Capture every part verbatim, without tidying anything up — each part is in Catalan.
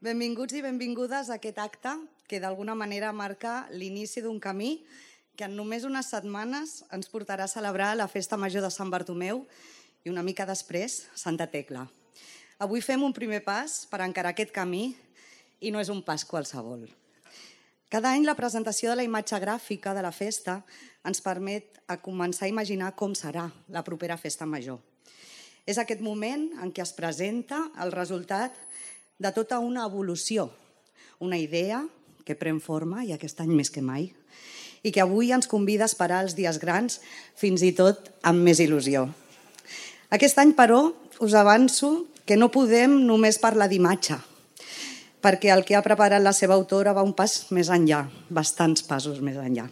Benvinguts i benvingudes a aquest acte que d'alguna manera marca l'inici d'un camí que en només unes setmanes ens portarà a celebrar la Festa Major de Sant Bartomeu i una mica després Santa Tecla. Avui fem un primer pas per encarar aquest camí i no és un pas qualsevol. Cada any la presentació de la imatge gràfica de la festa ens permet a començar a imaginar com serà la propera Festa Major. És aquest moment en què es presenta el resultat de tota una evolució, una idea que pren forma, i aquest any més que mai, i que avui ens convida a esperar els dies grans fins i tot amb més il·lusió. Aquest any, però, us avanço que no podem només parlar d'imatge, perquè el que ha preparat la seva autora va un pas més enllà, bastants passos més enllà.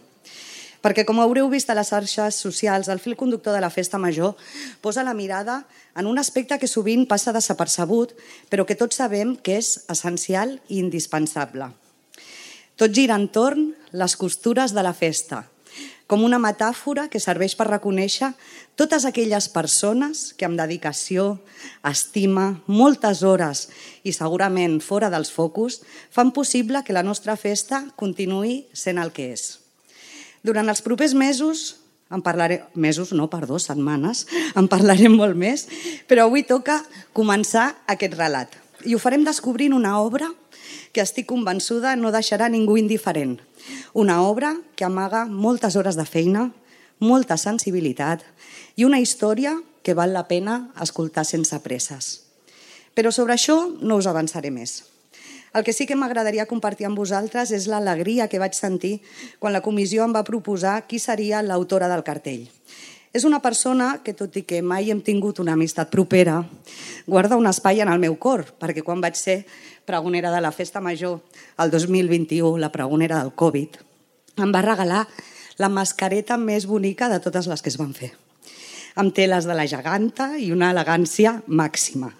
Perquè, com haureu vist a les xarxes socials, el fil conductor de la Festa Major posa la mirada en un aspecte que sovint passa desapercebut, però que tots sabem que és essencial i indispensable. Tot gira entorn les costures de la festa, com una metàfora que serveix per reconèixer totes aquelles persones que amb dedicació, estima, moltes hores i segurament fora dels focus fan possible que la nostra festa continuï sent el que és. Durant els propers mesos, en parlarem, mesos, no, perdó, setmanes, en parlarem molt més, però avui toca començar aquest relat. I ho farem descobrint una obra que estic convençuda no deixarà ningú indiferent. Una obra que amaga moltes hores de feina, molta sensibilitat i una història que val la pena escoltar sense presses. Però sobre això no us avançaré més. El que sí que m'agradaria compartir amb vosaltres és l'alegria que vaig sentir quan la comissió em va proposar qui seria l'autora del cartell. És una persona que, tot i que mai hem tingut una amistat propera, guarda un espai en el meu cor, perquè quan vaig ser pregonera de la Festa Major el dos mil vint-i-u, la pregonera del Covid, em va regalar la mascareta més bonica de totes les que es van fer, amb teles de la geganta i una elegància màxima.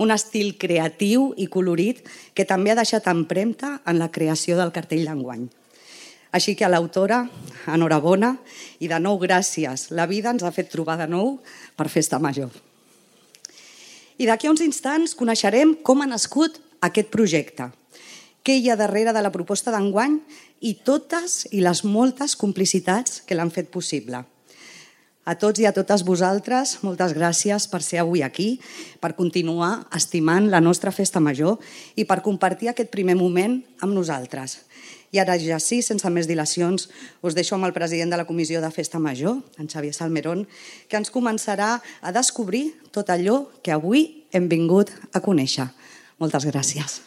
Un estil creatiu i colorit que també ha deixat empremta en la creació del cartell d'enguany. Així que a l'autora, enhorabona, i de nou gràcies. La vida ens ha fet trobar de nou per Festa Major. I d'aquí a uns instants coneixerem com ha nascut aquest projecte, què hi ha darrere de la proposta d'enguany i totes i les moltes complicitats que l'han fet possible. A tots i a totes vosaltres, moltes gràcies per ser avui aquí, per continuar estimant la nostra Festa Major i per compartir aquest primer moment amb nosaltres. I ara ja sí, sense més dilacions, us deixo amb el president de la Comissió de Festa Major, en Xavier Salmerón, que ens començarà a descobrir tot allò que avui hem vingut a conèixer. Moltes gràcies.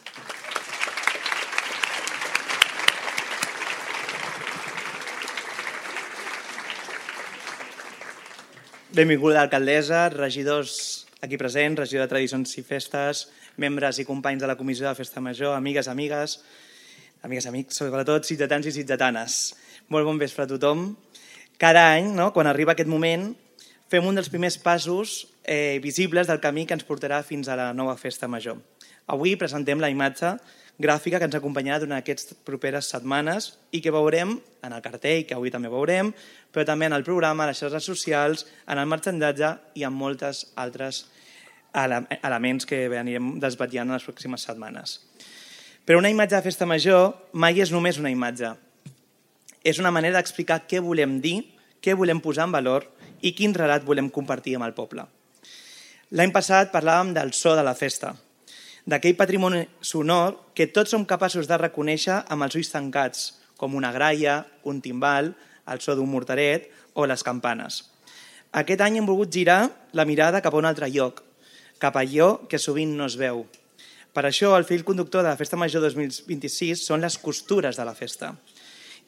Benvinguda alcaldessa, regidors aquí presents, regidor de Tradicions i Festes, membres i companys de la Comissió de Festa Major, amigues, amigues, amigues, amics, sobretot ciutadans i ciutadanes. Molt bon vespre a tothom. Cada any, no, quan arriba aquest moment, fem un dels primers passos eh, visibles del camí que ens portarà fins a la nova Festa Major. Avui presentem la imatge gràfica que ens acompanyarà durant aquestes properes setmanes i que veurem en el cartell, que avui també veurem, però també en el programa, a les xarxes socials, en el marxandatge i en moltes altres elements que anirem desvetllant en les pròximes setmanes. Però una imatge de Festa Major mai és només una imatge. És una manera d'explicar què volem dir, què volem posar en valor i quin relat volem compartir amb el poble. L'any passat parlàvem del so de la festa, d'aquell patrimoni sonor que tots som capaços de reconèixer amb els ulls tancats, com una graia, un timbal, el so d'un morteret o les campanes. Aquest any hem volgut girar la mirada cap a un altre lloc, cap a allò que sovint no es veu. Per això el fil conductor de la Festa Major dos mil vint-i-sis són les costures de la festa.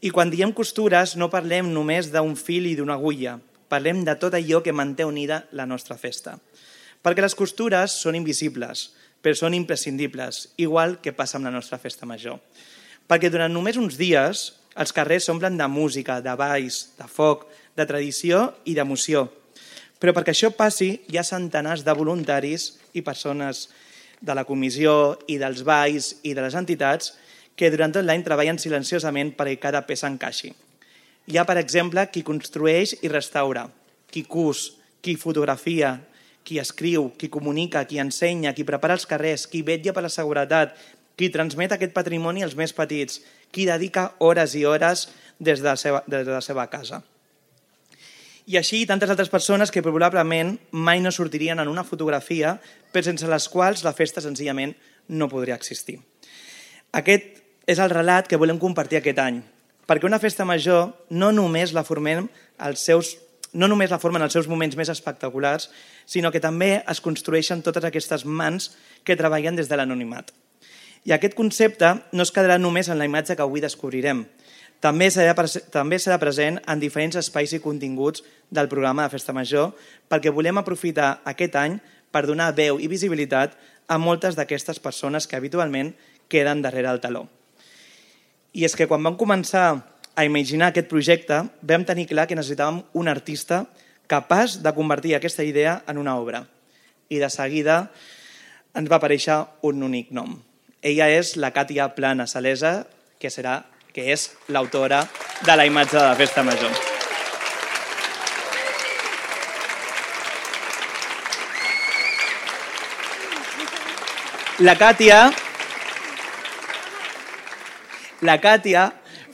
I quan diem costures no parlem només d'un fil i d'una agulla, parlem de tot allò que manté unida la nostra festa. Perquè les costures són invisibles, però són imprescindibles, igual que passa amb la nostra Festa Major. Perquè durant només uns dies els carrers s'omplen de música, de balls, de foc, de tradició i d'emoció. Però perquè això passi hi ha centenars de voluntaris i persones de la comissió i dels balls i de les entitats que durant tot l'any treballen silenciosament perquè cada peça encaixi. Hi ha, per exemple, qui construeix i restaura, qui cus, qui fotografia, qui escriu, qui comunica, qui ensenya, qui prepara els carrers, qui vetlla per la seguretat, qui transmet aquest patrimoni als més petits, qui dedica hores i hores des de la seva, des de la seva casa. I així tantes altres persones que probablement mai no sortirien en una fotografia, però sense les quals la festa senzillament no podria existir. Aquest és el relat que volem compartir aquest any, perquè una festa major no només la formem els seus, no només la formen els seus moments més espectaculars, sinó que també es construeixen totes aquestes mans que treballen des de l'anonimat. I aquest concepte no es quedarà només en la imatge que avui descobrirem, també serà, també serà present en diferents espais i continguts del programa de Festa Major, perquè volem aprofitar aquest any per donar veu i visibilitat a moltes d'aquestes persones que habitualment queden darrere el teló. I és que quan vam començar a imaginar aquest projecte, vam tenir clar que necessitàvem un artista capaç de convertir aquesta idea en una obra. I de seguida ens va aparèixer un únic nom. Ella és la Càtia Plana Salesa, que, serà, que és l'autora de la imatge de la Festa Major. La Càtia... La Càtia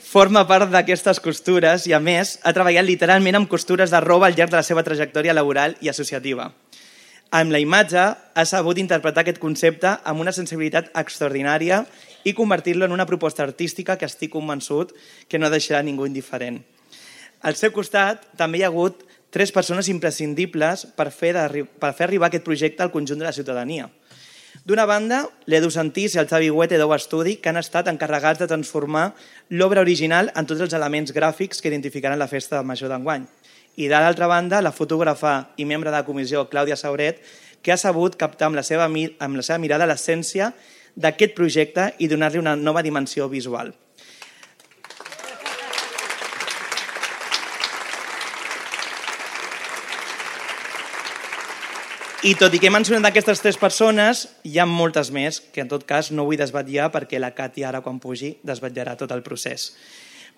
forma part d'aquestes costures i, a més, ha treballat literalment amb costures de roba al llarg de la seva trajectòria laboral i associativa. Amb la imatge ha sabut interpretar aquest concepte amb una sensibilitat extraordinària i convertir-lo en una proposta artística que estic convençut que no deixarà ningú indiferent. Al seu costat també hi ha hagut tres persones imprescindibles per fer, per fer arribar aquest projecte al conjunt de la ciutadania. D'una banda, l'Edu Santís i el Xavi Huete d'Ou Estudi, que han estat encarregats de transformar l'obra original en tots els elements gràfics que identificaran la Festa Major d'enguany. I de l'altra banda, la fotògrafa i membre de la comissió Clàudia Sauret, que ha sabut captar amb la seva, amb la seva mirada l'essència d'aquest projecte i donar-li una nova dimensió visual. I tot i que he mencionat aquestes tres persones, hi ha moltes més, que en tot cas no vull desvetllar perquè la Càtia ara quan pugi desvetllarà tot el procés.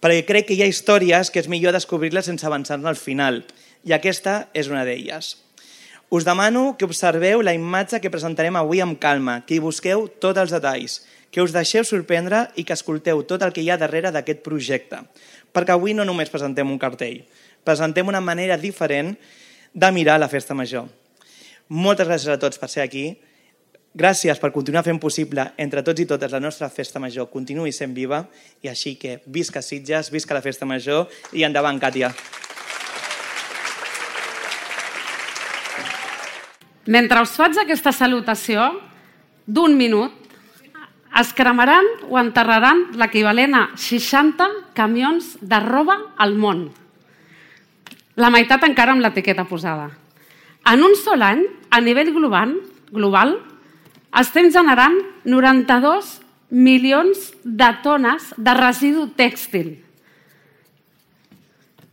Perquè crec que hi ha històries que és millor descobrir-les sense avançar-ne al final, i aquesta és una d'elles. Us demano que observeu la imatge que presentarem avui amb calma, que hi busqueu tots els detalls, que us deixeu sorprendre i que escolteu tot el que hi ha darrere d'aquest projecte. Perquè avui no només presentem un cartell, presentem una manera diferent de mirar la Festa Major. Moltes gràcies a tots per ser aquí. Gràcies per continuar fent possible entre tots i totes la nostra Festa Major continuï sent viva i així que visca Sitges, visca la Festa Major i endavant, Càtia. Mentre us faig aquesta salutació d'un minut, es cremaran o enterraran l'equivalent a seixanta camions de roba al món. La meitat encara amb l'etiqueta posada. En un sol any, a nivell global, global estem generant noranta-dos milions de tones de residu tèxtil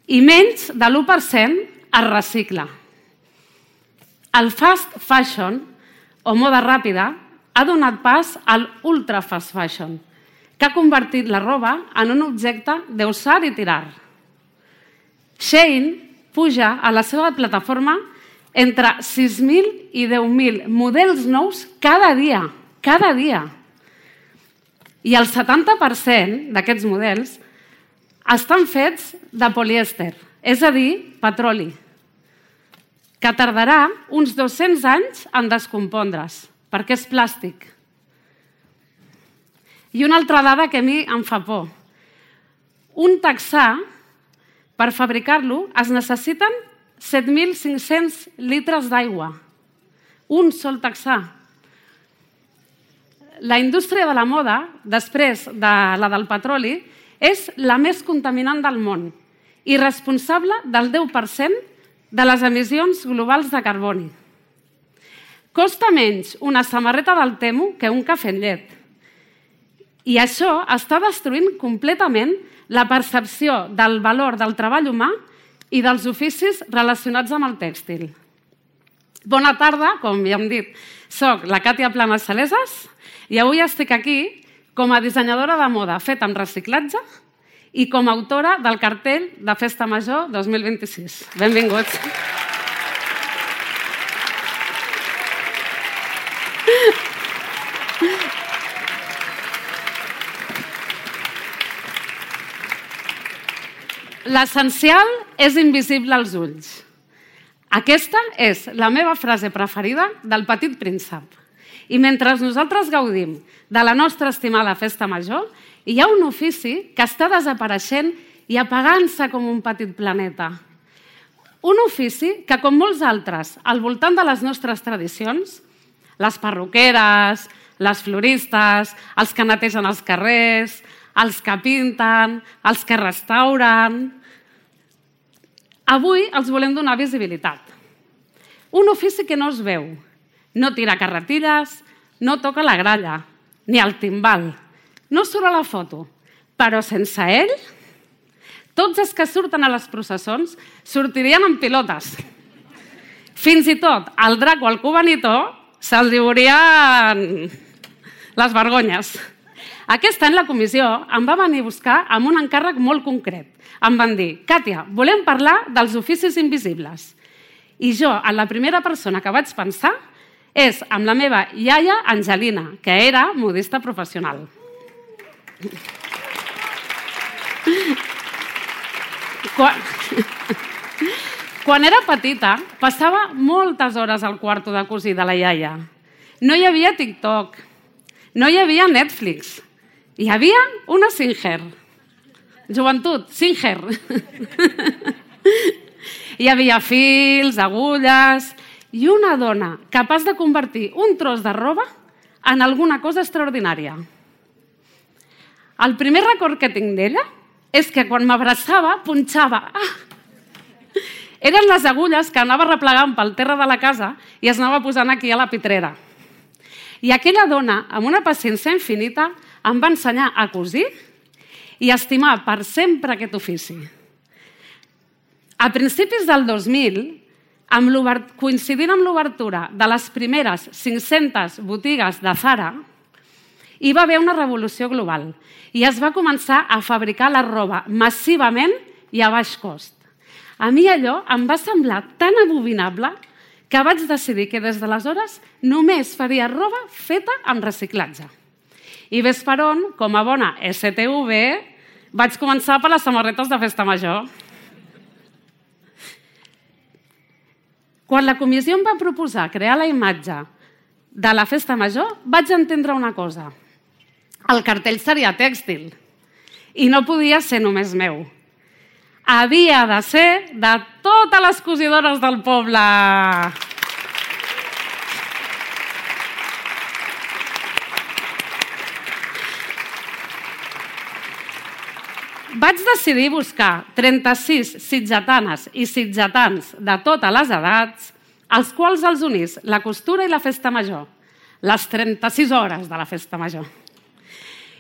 i menys de l'u per cent es recicla. El fast fashion, o moda ràpida, ha donat pas al ultra fast fashion, que ha convertit la roba en un objecte de usar i tirar. Shein puja a la seva plataforma entre sis mil i deu mil models nous cada dia, cada dia. I el setanta per cent d'aquests models estan fets de polièster, és a dir, petroli, que tardarà uns dos-cents anys en descompondre's, perquè és plàstic. I una altra dada que a mi em fa por. Un texà, per fabricar-lo, es necessiten set mil cinc-cents litres d'aigua. Un sol texà. La indústria de la moda, després de la del petroli, és la més contaminant del món i responsable del deu per cent de les emissions globals de carboni. Costa menys una samarreta del Temu que un cafè amb llet. I això està destruint completament la percepció del valor del treball humà i dels oficis relacionats amb el tèxtil. Bona tarda, com ja hem dit, soc la Càtia Plana Saleses i avui estic aquí com a dissenyadora de moda feta amb reciclatge i com a autora del cartell de Festa Major dos mil vint-i-sis. Benvinguts. L'essencial és invisible als ulls. Aquesta és la meva frase preferida del Petit Príncep. I mentre nosaltres gaudim de la nostra estimada festa major, hi ha un ofici que està desapareixent i apagant-se com un petit planeta. Un ofici que, com molts altres, al voltant de les nostres tradicions, les perruqueres, les floristes, els que netegen els carrers, els que pinten, els que restauren... Avui els volem donar visibilitat. Un ofici que no es veu, no tira carretilles, no toca la gralla, ni el timbal, no surt a la foto, però sense ell, tots els que surten a les processons sortirien en pilotes. Fins i tot el drac o el cubanitó se'ls diurien les vergonyes. Aquest any la comissió em va venir a buscar amb un encàrrec molt concret. Em van dir, Càtia, volem parlar dels oficis invisibles. I jo, en la primera persona que vaig pensar, és amb la meva iaia Angelina, que era modista professional. Quan... Quan era petita, passava moltes hores al quarto de cosir de la iaia. No hi havia TikTok, no hi havia Netflix, hi havia una Singer. Joventut, Singer. Hi havia fils, agulles i una dona capaç de convertir un tros de roba en alguna cosa extraordinària. El primer record que tinc d'ella és que quan m'abraçava, punxava. Ah! Eren les agulles que anava replegant pel terra de la casa i es anava posant aquí a la pitrera. I aquella dona, amb una paciència infinita, em va ensenyar a cosir i a estimar per sempre aquest ofici. A principis del dos mil, coincidint amb l'obertura de les primeres cinc-centes botigues de Zara, hi va haver una revolució global i es va començar a fabricar la roba massivament i a baix cost. A mi allò em va semblar tan abominable que vaig decidir que des d'aleshores només faria roba feta amb reciclatge. I ves per on, com a bona esse te u ve, vaig començar per les samarretes de festa major. Quan la comissió em va proposar crear la imatge de la festa major, vaig entendre una cosa. El cartell seria tèxtil i no podia ser només meu. Havia de ser de totes les cosidores del poble. Vaig decidir buscar trenta-sis sitgetanes i sitgetans de totes les edats, als quals els unís la costura i la festa major, les trenta-sis hores de la festa major.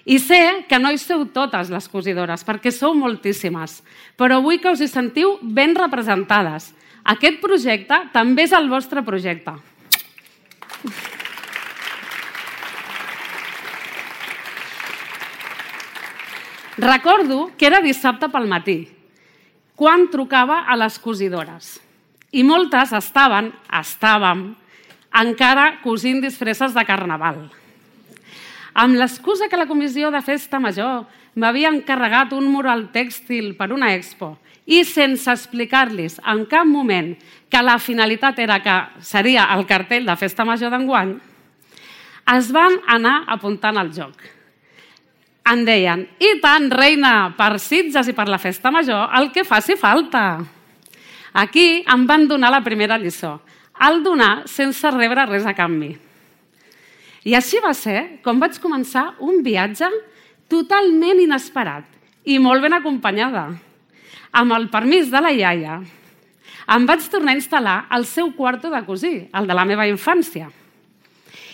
I sé que no hi sou totes les cosidores, perquè sou moltíssimes, però vull que us hi sentiu ben representades. Aquest projecte també és el vostre projecte. Recordo que era dissabte pel matí, quan trucava a les cosidores. I moltes estaven, estàvem, encara cosint disfresses de carnaval. Amb l'excusa que la comissió de festa major m'havia encarregat un mural tèxtil per una expo i sense explicar-los en cap moment que la finalitat era que seria el cartell de festa major d'enguany, es van anar apuntant al joc. Em deien, i tant, reina, per Sitges i per la festa major, el que faci falta. Aquí em van donar la primera lliçó, el donar sense rebre res a canvi. I així va ser com vaig començar un viatge totalment inesperat i molt ben acompanyada. Amb el permís de la iaia, em vaig tornar a instal·lar al seu quarto de cosir, el de la meva infància.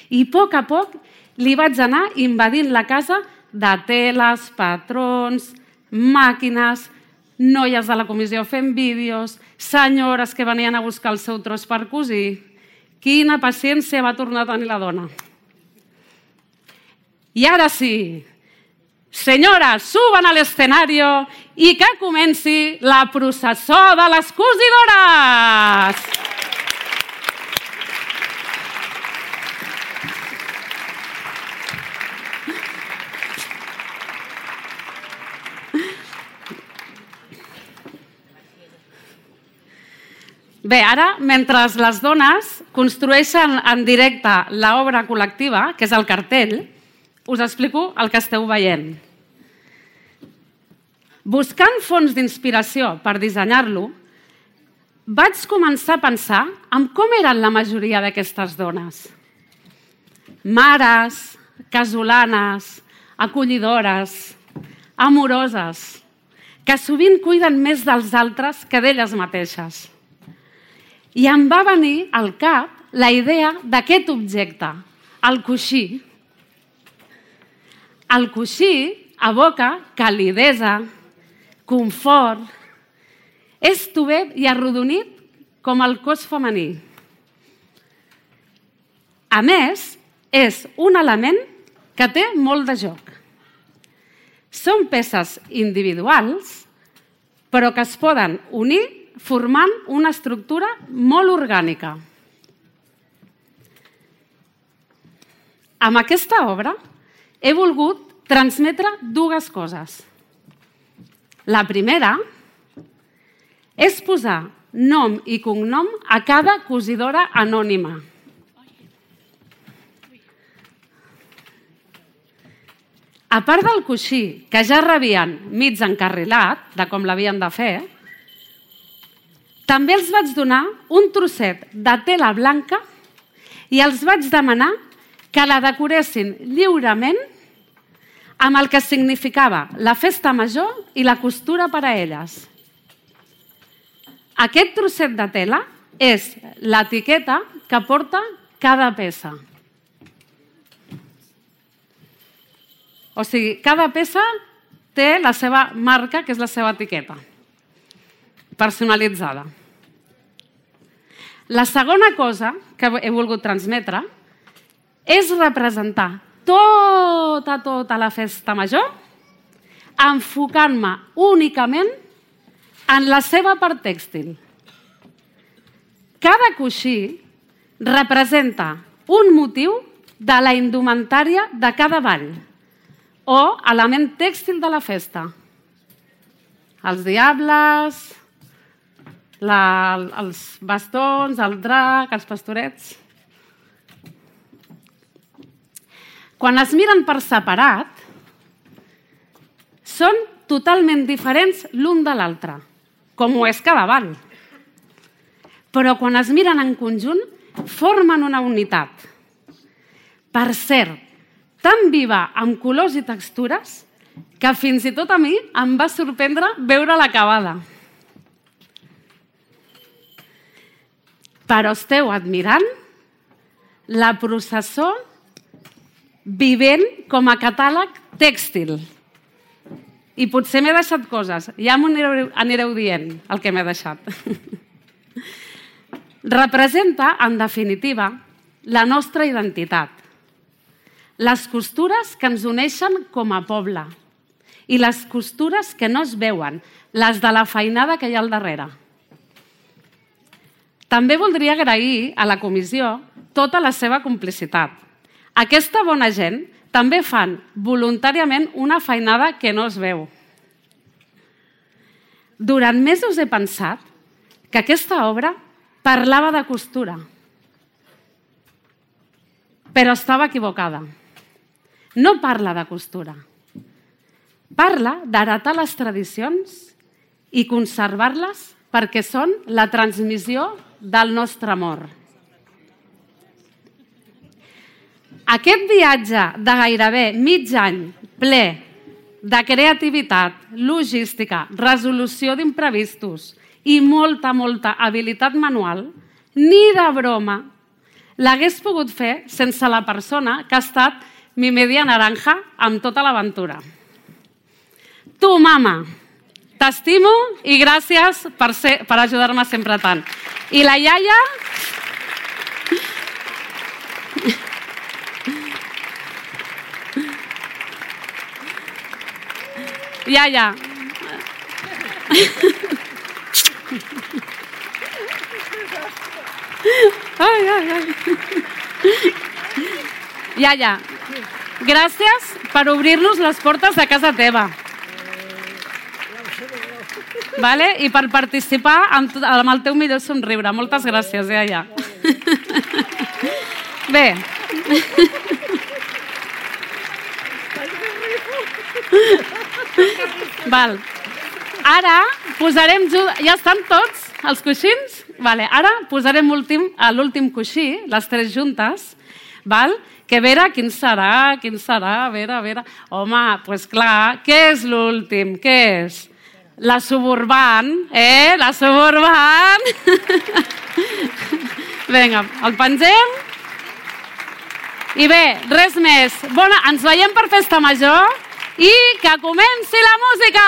I a poc a poc li vaig anar invadint la casa de teles, patrons, màquines, noies de la comissió fent vídeos, senyores que venien a buscar el seu tros per cosir. Quina paciència va tornar a tenir la dona. I ara sí, senyores, suben a l'escenari i que comenci la processó de les cosidores! Bé, ara, mentre les dones construeixen en directe l'obra col·lectiva, que és el cartell, us explico el que esteu veient. Buscant fonts d'inspiració per dissenyar-lo, vaig començar a pensar en com eren la majoria d'aquestes dones. Mares, casolanes, acollidores, amoroses, que sovint cuiden més dels altres que d'elles mateixes. I em va venir al cap la idea d'aquest objecte, el coixí. El coixí evoca calidesa, confort, és tovet i arrodonit com el cos femení. A més, és un element que té molt de joc. Són peces individuals, però que es poden unir formant una estructura molt orgànica. Amb aquesta obra he volgut transmetre dues coses. La primera és posar nom i cognom a cada cosidora anònima. A part del coixí, que ja rebien mig encarrilat de com l'havien de fer, també els vaig donar un trosset de tela blanca i els vaig demanar que la decoressin lliurement amb el que significava la festa major i la costura per a elles. Aquest trosset de tela és l'etiqueta que porta cada peça. O sigui, cada peça té la seva marca, que és la seva etiqueta, personalitzada. La segona cosa que he volgut transmetre és representar tota, tota la festa major enfocant-me únicament en la seva part tèxtil. Cada coixí representa un motiu de la indumentària de cada ball o element tèxtil de la festa. Els diables, la, els bastons, el drac, els pastorets. Quan es miren per separat, són totalment diferents l'un de l'altre, com ho és cada ball. Però quan es miren en conjunt, formen una unitat. Per cert, tan viva amb colors i textures que fins i tot a mi em va sorprendre veure l'acabada. Però esteu admirant la processó vivent com a catàleg tèxtil. I potser m'he deixat coses. Ja m'ho anireu, anireu dient, el que m'he deixat. Representa, en definitiva, la nostra identitat. Les costures que ens uneixen com a poble i les costures que no es veuen, les de la feinada que hi ha al darrere. També voldria agrair a la comissió tota la seva complicitat. Aquesta bona gent també fan voluntàriament una feinada que no es veu. Durant mesos he pensat que aquesta obra parlava de costura, però estava equivocada. No parla de costura. Parla d'heretar les tradicions i conservar-les perquè són la transmissió del nostre amor. Aquest viatge de gairebé mig any ple de creativitat, logística, resolució d'imprevistos i molta, molta habilitat manual, ni de broma l'hagués pogut fer sense la persona que ha estat mi media naranja amb tota l'aventura. Tu, mama, t'estimo i gràcies per, ser, per ajudar-me sempre tant. I la iaia... Iaia. Ai, ai, ai. Iaia, gràcies per obrir-nos les portes de casa teva. vale? I per participar amb, amb el teu millor somriure. Moltes gràcies, ja, ja. Bé. Val. Ara posarem... Ja estan tots els coixins? Vale. Ara posarem últim, a l'últim coixí, les tres juntes, val? Que a veure quin serà, quin serà, a veure, a veure... Home, doncs pues clar, què és l'últim? Què és? La Suburban, eh? La Suburban! Vinga, el pengem. I bé, res més. Bona, ens veiem per Festa Major i que comenci la música!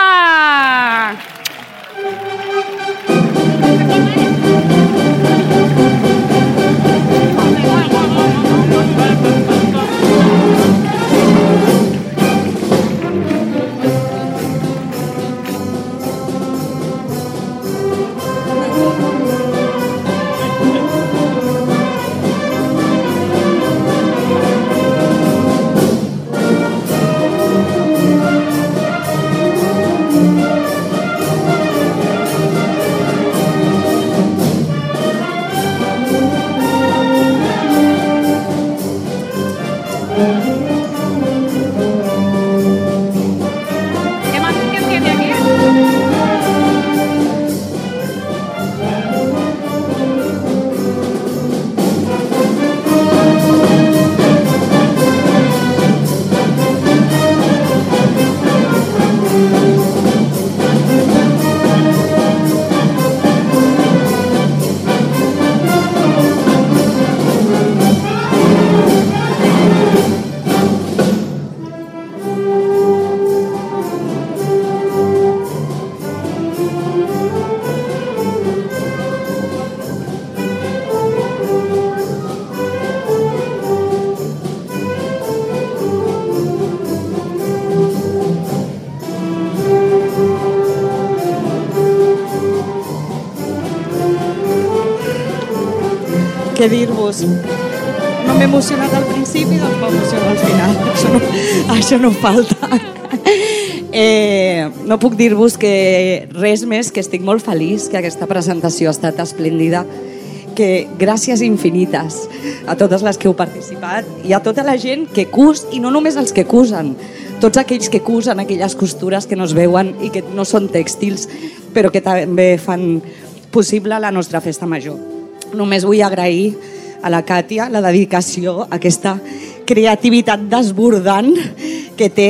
Què dir-vos? No m'he emocionat al principi, doncs m'emociono al final. Això no, això no falta. Eh, no puc dir-vos que res més, que estic molt feliç, que aquesta presentació ha estat esplèndida, que gràcies infinites a totes les que heu participat i a tota la gent que cus, i no només els que cusen, tots aquells que cusen aquelles costures que no es veuen i que no són tèxtils, però que també fan possible la nostra Festa Major. Només vull agrair a la Càtia la dedicació, aquesta creativitat desbordant que té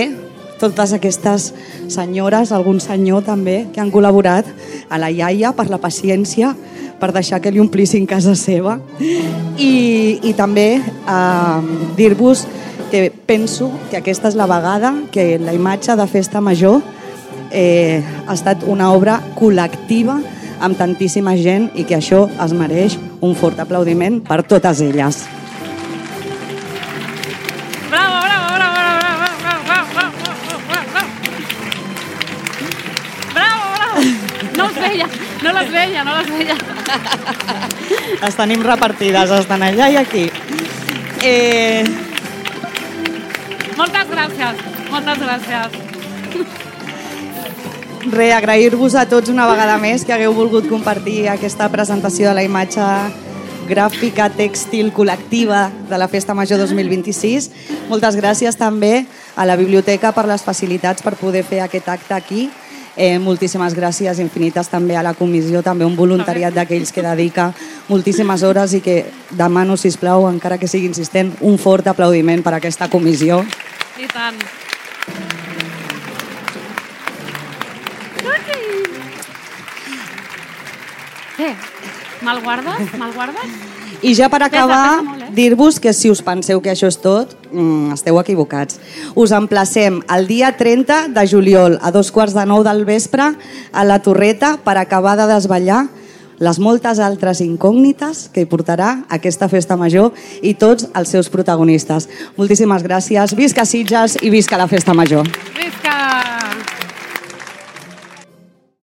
totes aquestes senyores, algun senyor també, que han col·laborat, a la iaia per la paciència, per deixar que li omplissin casa seva, i, i també eh, dir-vos que penso que aquesta és la vegada que la imatge de Festa Major eh, ha estat una obra col·lectiva amb tantíssima gent i que això es mereix un fort aplaudiment per totes elles. Bravo, bravo, bravo, bravo, bravo, bravo, bravo, bravo. No els veia, no les veia, no les veia. Les tenim repartides, estan allà i aquí. Eh... Moltes gràcies, moltes gràcies. Re, agrair-vos a tots una vegada més que hagueu volgut compartir aquesta presentació de la imatge gràfica tèxtil col·lectiva de la Festa Major dos mil vint-i-sis. Moltes gràcies també a la biblioteca per les facilitats per poder fer aquest acte aquí. Eh, moltíssimes gràcies infinites també a la comissió, també un voluntariat d'aquells que dedica moltíssimes hores i que demano, sisplau, encara que sigui insistent, un fort aplaudiment per a aquesta comissió. I tant. Què? Me'l guardes? Me'l guardes? I ja per acabar, Pesa, pesa molt, eh? dir-vos que si us penseu que això és tot, mm, esteu equivocats. Us emplacem el dia trenta de juliol a dos quarts de nou del vespre a la Torreta per acabar de desvetllar les moltes altres incògnites que hi portarà aquesta Festa Major i tots els seus protagonistes. Moltíssimes gràcies, visca Sitges i visca la Festa Major.